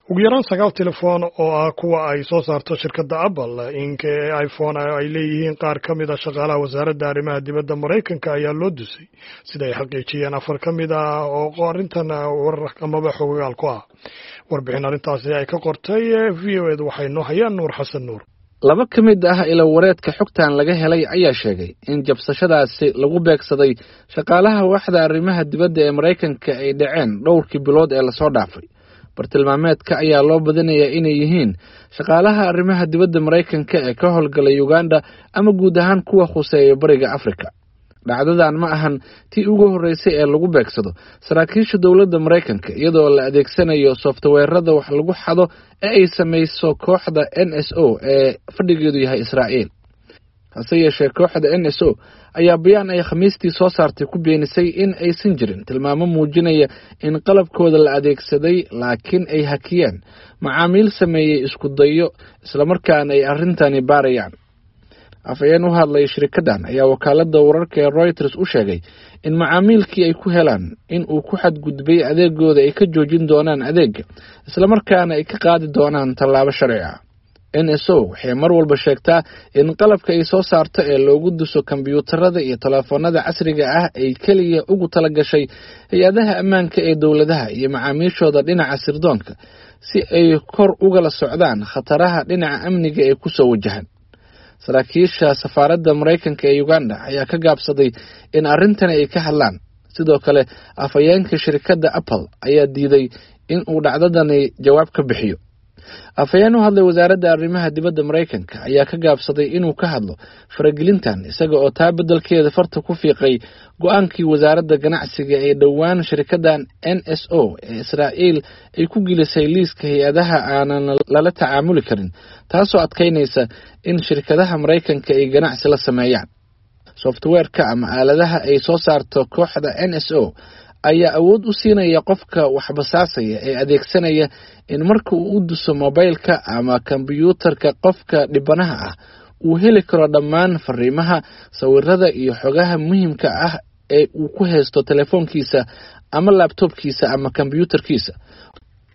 Ugu yaraan sagaal telefoon oo ah kuwa ay soo saarto shirkadda Apple Inc ee iPhone ay leeyihiin qaar ka mid a shaqaalaha Wasaaradda Arrimaha Dibadda Maraykanka ayaa loo dusay, sida ay xaqiijiyeen afar ka mid ah oo arrintan warar amaba xogagaal ku ah. Warbixin arrintaasi ay ka qortay VOA da waxay noo hayaan Nuur Xasan Nuur. Laba ka mid ah ilawareedka xogtan laga helay ayaa sheegay in jabsashadaasi lagu beegsaday shaqaalaha waaxda arrimaha dibadda ee Maraykanka ay dhaceen dhowrkii bilood ee lasoo dhaafay. Bartilmaameedka ayaa loo badinayaa inay yihiin shaqaalaha arrimaha dibadda Maraykanka ee ka howlgalay Uganda ama guud ahaan kuwa khuseeya Bariga Afrika. Dhacdadan ma ahan tii ugu horreysay ee lagu beegsado saraakiisha dowladda Maraykanka iyadoo la adeegsanayo softweerada wax lagu xado ee ay samayso kooxda NSO ee fadhigeedu yahay Israa'iil. Hase yeeshee, kooxda NSO ayaa bayaan ay Khamiistii soo saartay ku beenisay in aysan jirin tilmaamo muujinaya in qalabkooda la adeegsaday, laakiin ay hakiyeen macaamiil sameeyey isku dayo, islamarkaana ay arrintani baarayaan. Afhayeen u hadlay shirkaddan ayaa wakaaladda wararka ee Reuters u sheegay in macaamiilkii ay ku helaan in uu ku xadgudbay adeegooda ay ka joojin doonaan adeega, islamarkaana ay ka qaadi doonaan tallaabo sharci ah. NSO waxay mar walba sheegtaa in qalabka ay soo saarto ee loogu duso kombiyuutarada iyo telefoonada casriga ah ay keliya ugu tala gashay hay-adaha ammaanka ee dowladaha iyo macaamiishooda dhinaca sirdoonka, si ay kor ugala socdaan khataraha dhinaca amniga ee kusoo wajahan. Saraakiisha safaaradda Maraykanka ee Uganda ayaa ka gaabsaday in arrintani ay ka hadlaan. Sidoo kale, afhayeenka shirkadda Apple ayaa diiday in uu dhacdadani jawaab ka bixiyo. Afhayeen u hadlay Wasaaradda Arrimaha Dibadda Maraykanka ayaa ka gaabsaday inuu ka hadlo faragelintan, isaga oo taa beddelkeeda farta ku fiiqay go-aankii Wasaaradda Ganacsiga ee dhowaan shirkaddan NSO ee Israa'iil ay ku gelisay liiska hay-adaha aanan lala tacaamuli karin, taasoo adkaynaysa in shirkadaha Maraykanka ay ganacsi la sameeyaan. Softweerka ama aaladaha ay soo saarto kooxda NSO ayaa awood u siinaya qofka waxbasaasaya ee adeegsanaya in marka uu u duso mobaylka ama kombiyuutarka qofka dhibanaha ah uu heli karo dhammaan fariimaha, sawirada iyo xogaha muhiimka ah ee uu ku haysto telefoonkiisa ama laabtoobkiisa ama kombiyuutarkiisa.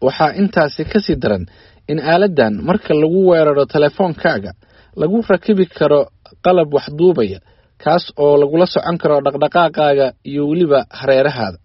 Waxaa intaasi kasii daran in aaladdan marka lagu weeraro telefoonkaaga lagu rakibi karo qalab waxduubaya, kaas oo lagula socon karo dhaqdhaqaaqaaga iyo weliba hareerahaada.